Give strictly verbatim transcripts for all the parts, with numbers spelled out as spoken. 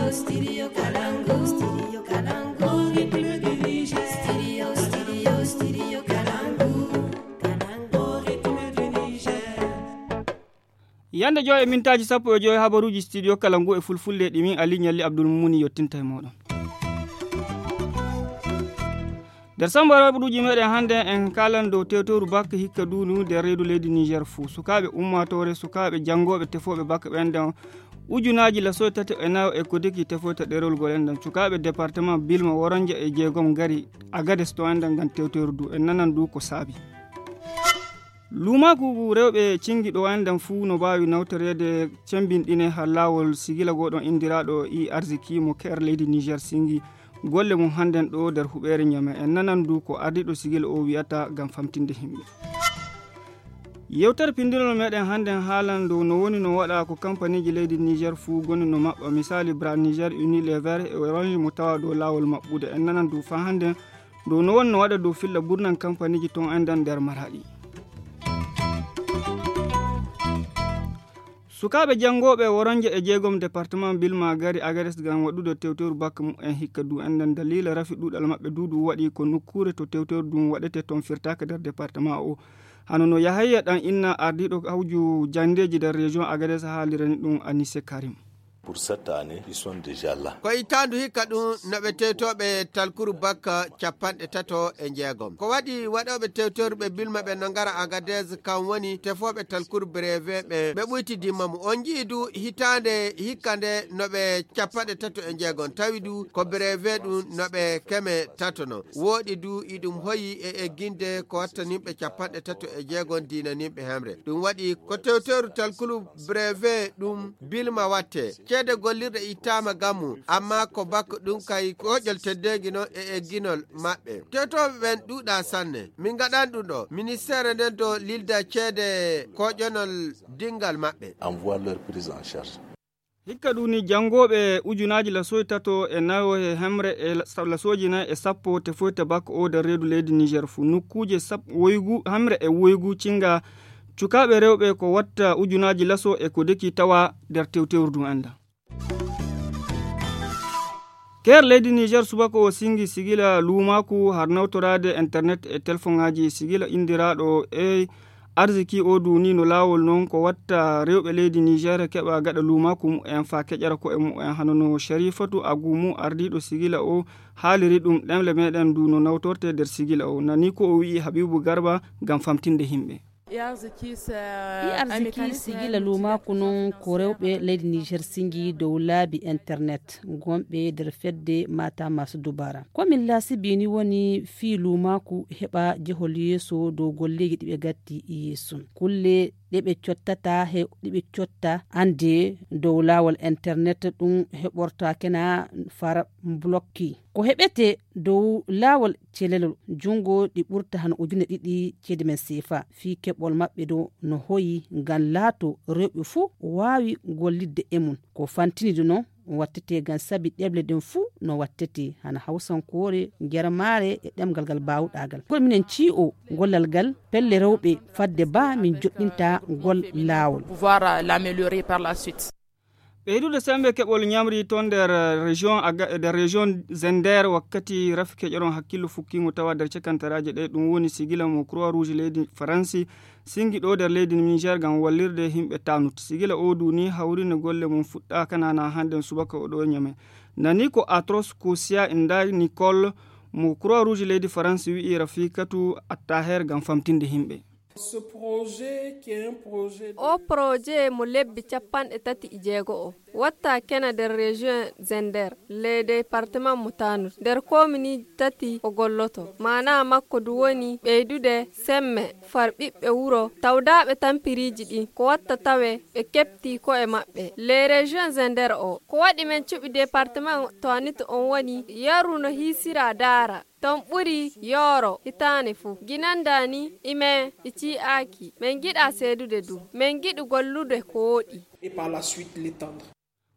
Yande joy e mintaaji sappo e joy, habaruuji studio kala ngu e fulfulde ɗi min Ali Ñalli Abdul Mumuni yottinta e mooɗon. Nder samba habaruuji meɗen hannde, en kaalan dow tewtoru bak hikka duunu nder reedu leydi Niger fuu. Sukaaɓe ummaatoore, sukaaɓe janngooɓe tefooɓe bak ɓen nden ujunaaji lasoy tati e nayo e ko deki tefoyta ɗerol gol en nden. Sukaaɓe département Bilma, Woronje e jeegom ngari Agades to en nden ngam tewtoru du. En nanan du ko saabi. Luumaaku rewɓe cingi ɗo en nden fuu no mbaawi nawtoreede cembinɗine haa laawol sigila gooɗon indiraaɗo E Arziki mo keer leydi Niger singi golle mum hannden ɗo nder huɓeere Ñame. En nanan du ko ardiiɗo sigila o wi'ata ngam famtinde himɓe. Yewtere pindinol meɗen hannden haalan dow no woni no waɗa ko kampaniiji leydi Niger fuu goni no maɓɓa, misaali Bra Niger, Unilever e Orange mo tawa dow laawol maɓɓude. En nanan du faa hannden dow no woni no waɗa dow filla burnan kampaniiji ton en nden nder Maraɗi. Sukaaɓe janngooɓe Woronje e jeegom département Bilma ngari Agades ngam waɗude tewteru bak mumen hikka du en nden daliila rafi ɗuuɗal maɓɓe du ɗum waɗi ko nokkuure to tewteru ndun waɗete ton firtaaka nder département o. Hano no Yahaya Ɗan Inna ardiiɗo hawju janndeeji nder région Agades haalirani ɗum Anise Karim. Pour cette année, ils sont déjà là. Ko hitaandu hikka ɗum no ɓe tewtooɓe talkuru bakka capanɗe tato e jeegom. Ko waɗi waɗooɓe tewtoru ɓe Bilma ɓe no ngara Agadez, kam woni tefooɓe talkuru brevet ɓe, ɓe ɓuytidiima mo. On njii du hitaande hikka nde no ɓe capanɗe tato e jeegom, tawi du ko brevet ɗum no ɓe keme tato non. Wooɗi du iɗum hoyi e egginde ko wattaninɓe capanɗe tato e jeegom diinaninɓe hemre. Ɗum waɗi ko tewtoru talkuru brevet ɗum Bilma watte. Ceede gollirɗe ittaama gamu, amma ko bakko ɗum kay koƴol teddeengi non e egginol maɓɓe. Tewtooɓe ɓen ɗuuɗaa sanne. Min ngaɗan ɗum ɗo. Ministeere nden do lilda ceede koƴonol dingal maɓɓe. Envoie leur prise en charge. Hikka ɗum ni, janngooɓe ujunaaji lasoy tato e nayo e hemre e la-, sa-, lasooji nayi e sappo tefoyta bakko o nder reedu leydi Niger fuu. Nokkuuje sap-, woygu, hemre e woygu cinga cukaaɓe rewɓe ko watta ujunaaji laso e ko deki tawa nder tewtewru ndun enda. Keer leydi Niger subaka o singi sigila luumaaku har nawtoraade internet e telefoŋaaji sigila indiraaɗo e arziki o duuni no laawol non ko watta rewɓe leydi Niger keɓa gaɗa luumaaku mumen faa keƴara ko'e mumen hano no Sharifatu Agumu ardiiɗo sigila o haaliri ɗum ɗemle meɗen du no nawtorte nder sigila o. Nani ko o wi'i Habibu Garba ngam famtinde himɓe. E arziki sigila luumaaku non ko rewɓe leydi Niger singi dow laabi internet gonɓe nder fedde Mata Masu Dubara. Ko min laasibi ni woni fii luumaaku heɓa jehol yeeso dow golleeji ɗi ɓe gatti yeeso. Kulle ɗe ɓe cottata he ɗi ɓe cotta annde dow laawol internet ɗum heɓorta kena far blokki. Ko heɓete dow laawol celelol junngo ɗi ɓurta hano ujune ɗiɗi ceede men seefa. Fii keɓol maɓɓe ɗo no hoyi ngam laato rewɓe fuu waawi gollidde e mum. Ko fantini ɗum non wattete ngam sabi ɗeɓle ɗen fuu no wattete hana hawsankoore, germaare e ɗemgal ngal baawɗaa ngal. Kono minen cii'o gollal ngal pelle rewɓe fadde ba min joɗɗinta ngol laawol. Pouvoir, euh, l'améliorer par la suite. Ɓeydude semmbe keɓol ñamri toon nder, eh, région Aga-, nder région Zender wakkati rafi keƴoron hakkillo fukkiimo tawa nder cakantaraaje ɗe, ɗum woni sigila mo Croix Rouge leydi Faransi singi ɗo nder leydi Niger ngam wallirde yimɓe Tanut. Sigila o du ni hawrino golle mum fuɗɗaaka nana hannden subaka o ɗo Ñame. Nani ko Atros Kosia Inda Nicole mo Croix Rouge leydi Faransi wi'i Rafikatu Attaher ngam famtinde yimɓe. Ce projet qui est un projet de O projet mo lebbi capanɗe tati e jeego o watta kena nder région Zender, le département mo Tanut, nder komini tati o golloto. Maana makko du woni ɓeydude semme far ɓiɓɓe wuro tawdaaɓe tampiriiji ɗin, ko watta tawe ɓe keɓti ko'e maɓɓe. Le région Zender o, ko waɗi men cuɓi département Tanut on woni yeru no hiisira daara. Ton ɓuri yooro hitaande fuu. Ginanda ni, imen i cii'aaki. Men giɗa seedude du. Men giɗi gollude ko wooɗi. Et par la suite l'étendre.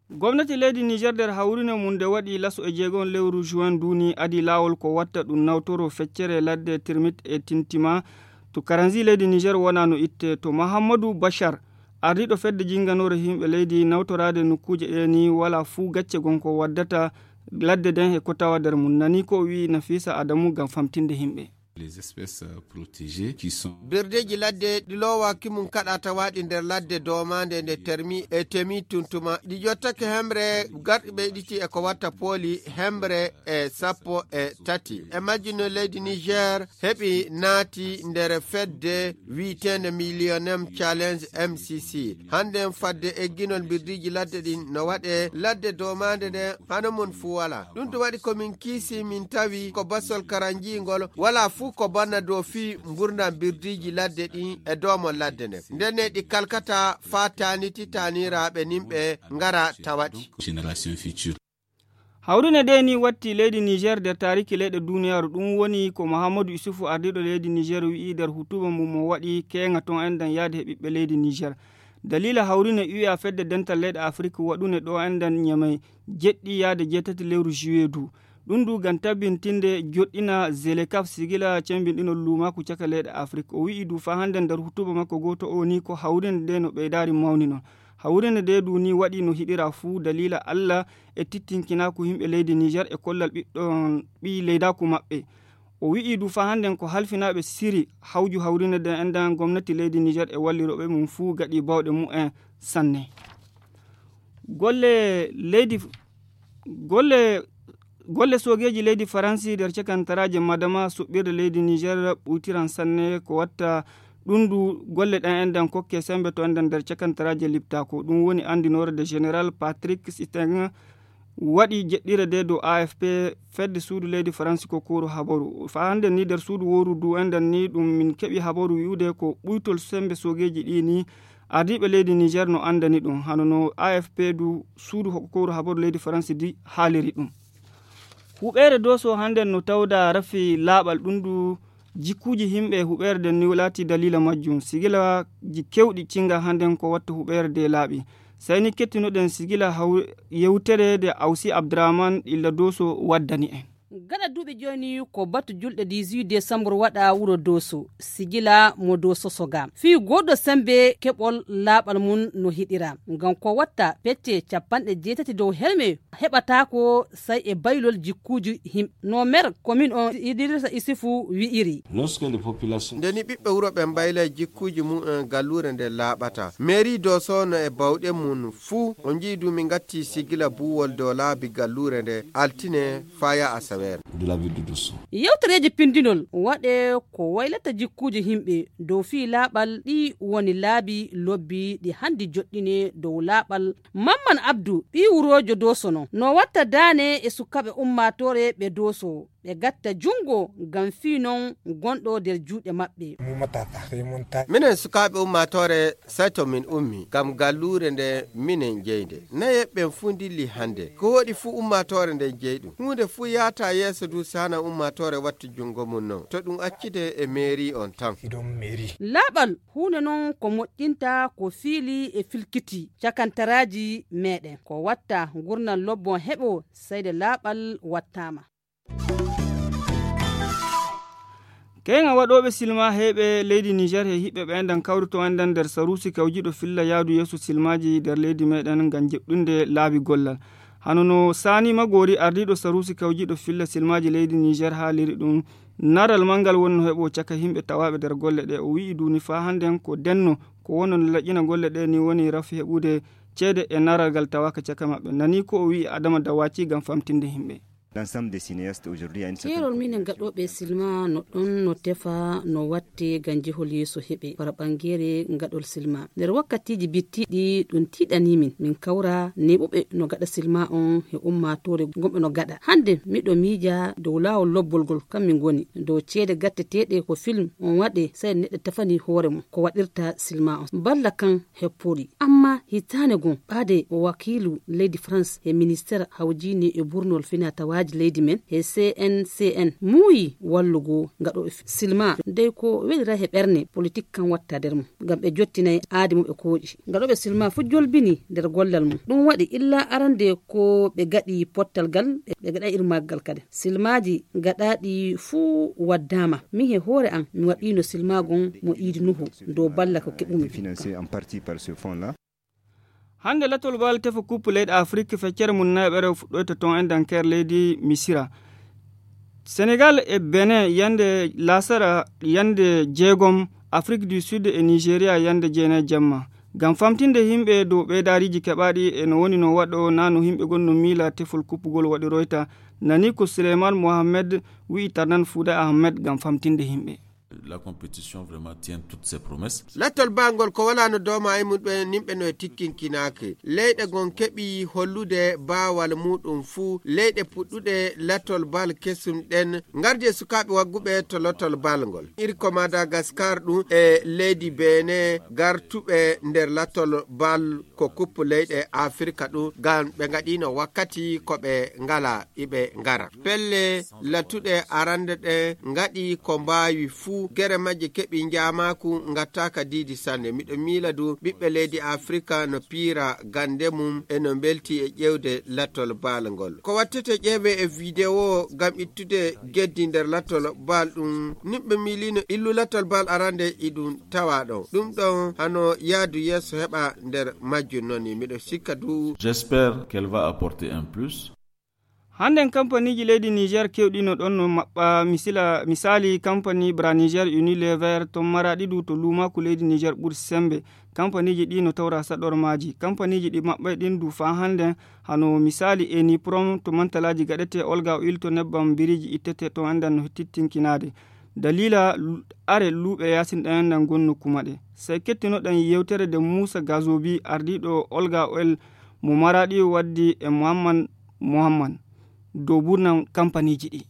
Gomnati leydi Niger nder hawrine mum nde waɗi laso e jeegom lewru juin ndu ni adii laawol ko watta ɗum nawtoro feccere ladde Tirmit e Tintima to Karanzi leydi Niger wona no itte to Mahamadou Bachar Ardiiɗo fedde jinnganoore yimɓe leydi nawtoraade nokkuuje ɗee ni walaa fuu gacce gon ko waddata ladde nden e ko tawa nder mum. Nani ko o wi'i Nafisa Adamu ngam famtinde yimɓe. Les espèces, euh, protégées qui sont Birdeeji ladde ɗi loowaaki mum kaɗa tawaaɗi nder ladde doomaande nde termi e temi tuntuma. Ɗi ƴottake hemre garɗi ɓeyɗiti e ko watta pooli hemre e sappo e tati. E majji no leydi Niger heɓi naati nder fedde wi'eteende Millennium Challenge M C C. Hannden fadde egginol mbirdiiji ladde ɗin no waɗe ladde doomaande nde hano mum fuu walaa. Ɗum ɗum waɗi ko min kiisi min tawi ko basol karanjiingol walaa fuu ko banna dow fii ngurndan mbirdiiji ladde ɗin e doomol ladde nde. Ndenne ɗi kalkata faa taaniti taaniraaɓe nimɓe ngara tawaɗi. Génération future. Hawrine ɗee ni watti leydi Niger nder taariki leyɗe duuniyaaru. Ɗum woni ko Muhammadu Isufu ardiiɗo leydi Niger wi'i nder hutuba mum mo waɗi keeŋa ton enɗan yaade he ɓiɓɓe leydi Niger. Daliila hawrine U E A fedde dental leyɗe Afrik waɗune ɗo enɗan Ñamey jeɗɗi yaade jeetati lewru juillet du. Ɗum du ngam tabbintinde joɗɗina Zelekaf sigila cembinɗinol luumaaku caka leyɗe Afrik. O wi'i du faa hannde nder hutuba makko gooto o ni ko hawrine nde no ɓeydaari mawni non. Hawrine nde du ni waɗi no hiɗira fuu daliila Alla e tittinkinaaku yimɓe leydi Niger e kollal ɓiɗɗo ɓii leydaaku maɓɓe. O wi'i du faa hannden ko halfinaaɓe siri hawju hawrine nde enɗan gomnati leydi Niger e wallirooɓe mum fuu gaɗi bawɗe mumen sanne. Golle leydi golle golle soogeeji leydi Faransi nder cakantaraaje Madama suɓɓirde leydi Niger ɓuytiran sanne ko watta ɗum du golle ɗen enɗan kokke sembe to enɗan nder cakantaraaje liptaako. Ɗum woni anndinoore de Général Patrick Siteng waɗi jeɗɗire de dow A F P fedde suudu leydi Faransi ko kooru habaru. Faa hannde ni nder suudu wooru du enɗan ni ɗum min keɓi habaru wi'ude ko ɓuytol sembe soogeeji ɗi ni ardiiɓe leydi Niger no anndani ɗum. Hano no A F P du suudu ho-, kooru habaru leydi Faransi di haaliri ɗum. Huɓeere Dooso hannden no tawda rafi laaɓal ɗum du jikkuuji yimɓe huɓeere nden ni laati daliila majjum. Sigilaaji kewɗi cinga hannden ko watta huɓeere de laaɓi. Sey ni kettinoɗen sigila haw-, yewtere de Awsi Abdurrahman illa Dooso waddani en. Gaɗa duuɓi jooni ko batu julɗe dix-huit décembre waɗa wuro Dooso, sigila mo Dooso soga. Fii goɗɗo sembe keɓol laaɓal mum no hiɗira. Ngam ko watta pecce capanɗe jeetati dow helme heɓataako sey e baylol jikkuuji himɓe. No mer komin on Idrissa Isufu wi'iri. Lorsque les populations Nde ni ɓiɓɓe wuro ɓe mbaylay jikkuuji mum en galluure nde laaɓata. Mairie Dooso no e bawɗe mum fuu o njii du min ngatti sigila buuwol dow laabi galluure nde altine faya asaweere. De la ville de Dooso. Yewtereeji pindinol waɗe ko waylata jikkuuji himɓe dow fii laaɓal ɗi woni laabi lobbi ɗi hanndi joɗɗine dow laaɓal. Mamman Abdu, ɓii wuroojo Dooso non, no watta daane e sukaaɓe ummaatoore ɓe Dooso, ɓe gatta junngo ngam fii non gonɗo nder juuɗe maɓɓe. Minen sukaaɓe ummaatoore, sey to min ummi, ngam galluure nde minen jeyde. Nayeeɓe ɓen fuu ndilli hannde. Ko woɗi fuu ummaatoore nden jeyi ɗum. Huunde fuu yaata yeeso du saana ummaatoore wattu junngo mum non. To ɗum accide e meeri on tan. Laaɓal huunde non ko moƴƴinta ko fiili e filkiti cakantaraaji meɗen. Ko watta ngurndan lobbon heɓo seyde laaɓal wattaama. Keeŋa waɗooɓe silma heeɓe leydi Niger he hiɓɓe ɓe enɗan kawrito enɗan nder saruusi kawjiɗo filla yaadu yeeso silmaaji nder leydi meɗen ngam jeɓɗunde laabi gollal. Hano no Sani Magori ardiiɗo saruusi kawjiɗo filla silmaaji leydi Niger haaliri ɗum, naral manngal wonno heɓo caka himɓe tawaaɓe nder golle ɗe. O wi'i duni faa hannden ko denno ko wonno no laƴƴina golle ɗe ni woni rafi heɓude ceede e naral ngal tawaaka caka maɓɓe. Nani ko o wi'i Adama Dawaci ngam famtinde himɓe. L'ensemble des cinéastes aujourd'hui à une certaine Keerol minen gaɗooɓe silma no ɗon no tefa no watte ngam jehol yeeso heɓe fara ɓangeere gaɗol silma. Nder wakkatiiji bittiiɗi ɗum tiiɗanii min. Min kawra neeɓuɓe no gaɗa silma on he ummaatoore gomɓe no gaɗa. Hannde miɗo miija dow laawol lobbol ngol kam min ngoni. Dow ceede gatteteeɗe ko film on waɗe sey neɗɗo tefani hoore mum ko waɗirta silma on. Balla kan hepporii. Amma hitaande gon ɓaade o wakiilu leydi France he ministeer hawjiini e burnol finaa tawaaji Leydi men he C N C N muuyi wallugo ngaɗooɓe silma dey ko welira he ɓerne politik kan watta nder mum ngam ɓe jottinay aadi mum ɓe kooƴi. Ngaɗooɓe silma fof jolbini nder gollal mum. Ɗum waɗi illa arande ko ɓe gaɗi pottal gal, ɓe gaɗa irmaggal kadi. Silmaaji gaɗaaɗi fuu waddaama. Min he hoore an mi waɗiino silmaagon mo iidi nuhu dow balla ko keɓumi. Financé en partie par ce fonds là. Hannde latol bal tefa kuppu leyɗe Afrik feccere mum nayaɓere fuɗɗoyta toon e dankeer leydi Misira. Senegal e Benin yande lasara yande jeegom, Afrik du Sud e Nigeria yande jeenayi jamma. Ngam famtinde yimɓe dow ɓeydaariiji keɓaaɗi e no woni no waɗo naa no yimɓe gon no miila tefol kuppugol waɗiroyta, nani ko Souleymane Mohamed wi'i Tarnan Fouda Ahmed ngam famtinde yimɓe. La compétition vraiment tient toutes ses promesses. Lattol baangol ko wala no dooma e mum ɓe nimɓe no e tikkinkinaake. Leyɗe gon keɓi hollude baawal muɗum fuu. Leyɗe puɗɗuɗe lattol bal kesum ɗen ngardi e sukaaɓe wagguɓe to lattol bal ngol. Iri ko Madagascar ɗum e leydi Benin gartuɓe nder lattol bal ko kuppu leyɗe Afirka ɗum ngam ɓe ngaɗino wakkati ko ɓe ngala iɓe ngara. Pelle lattuɗe arande ɗe ngaɗi ko mbaawi fuu, gere majje keɓi njaamaaku ngattaaka diidi sanne. Miɗo miila du ɓiɓɓe leydi Afirka no piira gande mum e no mbelti e ƴeewde lattol baal ngol. Ko wattete ƴeewe e video ngam ittude geddi nder lattol baal ɗum. Nimɓe miilino illu lattol baal arande iɗum tawa ɗon. Ɗum ɗon hano yaadu yeeso heɓa nder majjum noni. Miɗo sikka du. J'espère qu'elle va apporter un plus. Hannden kampaniiji leydi Niger keewɗi no ɗon no maɓɓa misila, misaali kampani Bra Niger Unilever to Maraɗi du to luumaaku leydi Niger ɓuri semmbe. Kampaniiji ɗi no tawra saɗormaaji. Kampaniiji ɗi maɓɓay ɗin du faa hannden hano misaali Eniprom to mantalaaji gaɗetee Olga Oil to nebbam biriiji ittetee to anndan no tittinkinaade. Daliila lu-, are luuɓe yaasin ɗan anndan gon nokku maɗe. Sey kettinoɗen yewtere de Muusa Gazobi ardiiɗo Olga Oil mo Maraɗi waddi e Muhammad Muhammad dow burnam kampaniiji ɗi.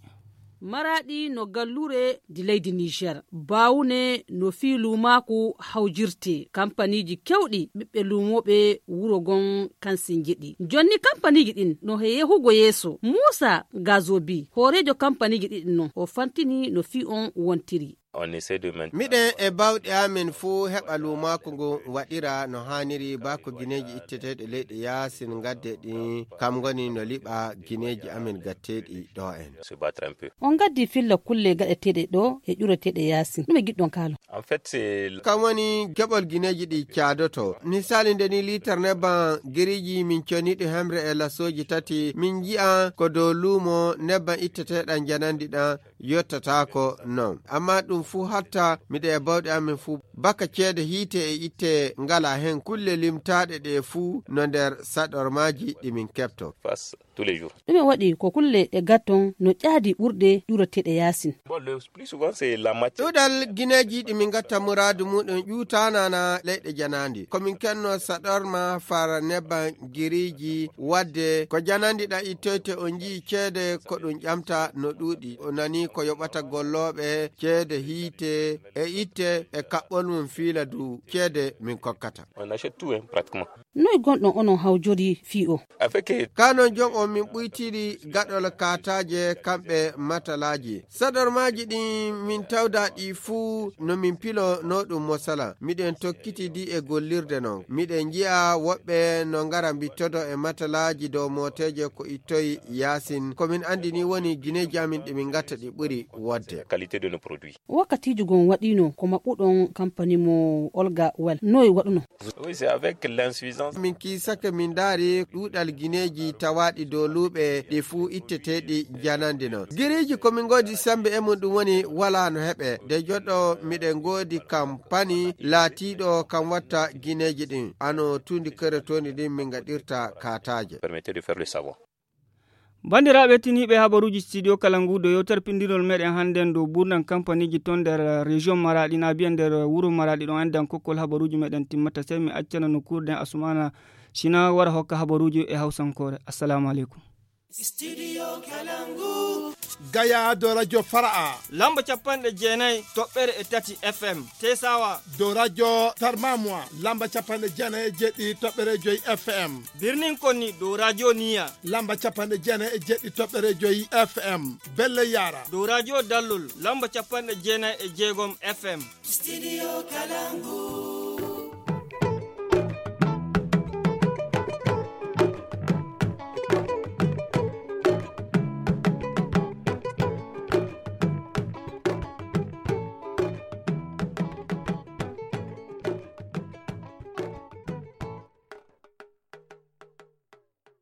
Maraɗi no gallure di leydi Niger. Bawune no fii luumaaku hawjirte. Kampaniiji kewɗi ɓiɓɓe luumooɓe wuro gon kansin njeɗi. Jonni kampaniiji ɗin no he yehugo yeeso. Muusa Gazobi, hooreejo kampaniiji ɗiɗi non, o fantini no fii on wontiri. On essaie de main- Miɗen e bawɗe amen fuu heɓa luumaaku ngun waɗira no haaniri ba ko gineeji itteteeɗi leyɗe yaasin ngadde ɗin kam ngoni no liɓa gineeji amen gatteeɗi ɗo en. Se battre un peu. On ngaddi filla kulle gaɗeteeɗe ɗo e ƴureteeɗe yaasin. Ɗume ngiɗɗon kaalo? En fait, c'est kam woni keɓol gineeji ɗi caadoto. Misaali nde ni liitar nebban giriiji min coniiɗi hemre e lasooji tati min nji'a ko dow luumo nebban itteteeɗan janandi ɗan yottataako non. Amma ɗum fuu hatta miɗo e bawɗe amen fuu baka ceede hiite e itte ngala hen kulle limtaaɗe ɗe fuu no nder saɗormaaji ɗi min keɓto. Face tous les jours. Ɗume waɗi ko kulle ɗe gatton no ƴaadi ɓurɗe ƴureteeɗe yaasin? Bon, le plus souvent, c'est la matière. Ɗuɗal gineeji ɗi min gatta muraadu muɗum ƴuutaanana leyɗe janaandi. Ko min kenno saɗorma fara nebban giriiji wadde ko janandi ɗa ittoyte on njii ceede ko ɗum ƴamta no ɗuuɗi. O nani ko yoɓata gollooɓe ceede hiite e itte e kaɓɓol mum fiila du ceede min kokkata. On achète tout, hein, pratiquement. Noy gonɗon onon hawjori fii o? Avec, eh, kanon jom on min ɓuytiri gaɗol kataaje kamɓe matalaaji. Saɗormaaji ɗin min tawda ɗi fuu no min pilo no ɗum mosala. Miɗen tokkiti di e gollirde non. Miɗen nji'a woɓɓe no ngara mbittodo e matalaaji dow mooteeje ko ittoy yaasin. Ko min andi ni woni gineeji amin ɗi min gatta ɗi ɓuri wodde. Qualité de nos produits. Wakkatiiji gon waɗiino ko maɓɓuɗon kampani mo Olga Well. Noy waɗuno? Oui, c'est avec l'insuffisance. Min kiisake min ndaari ɗuuɗal gineeji tawaaɗi dow luuɓe ɗi fuu itteteeɗi janandi non. Giriiji ko min ngoodi sembe e mum ɗum woni walaa no heɓe. De joɗɗo miɗen ngoodi kampani laatiiɗo kam watta gineeji ɗin. Ano tuundi kere tooni ɗin min ngaɗirta kataaje. Permettait de faire le savon. Banndiraaɓe tiniiɓe habaruuji studio kala ngu do yewtere pinndinol meɗen hannden dow buurnan kampaniiji ton nder région Maraɗi na biya nder wuro Maraɗi ɗon anndan kokkol habaruuji meɗen timmata sey mi accana no kuurden Asumana Sina wara hokka habaruuji e hawsankoore. Assalamu aleykum. Studio Kalangu. Gaya dow radio Fara'a. Lamba capanɗe jeenayi toɓɓere e tati F M. Tesawa. Dow radio Tarmamwa. Lamba capanɗe jeenayi e jeɗɗi toɓɓere joyi F M. Birnin Konni dow radio Niya. Lamba capanɗe jeenayi e jeɗɗi toɓɓere joyi F M. Belle Yara. Dow radio Dallol. Lamba capanɗe jeenayi e jeegom F M. Studio Kalangu.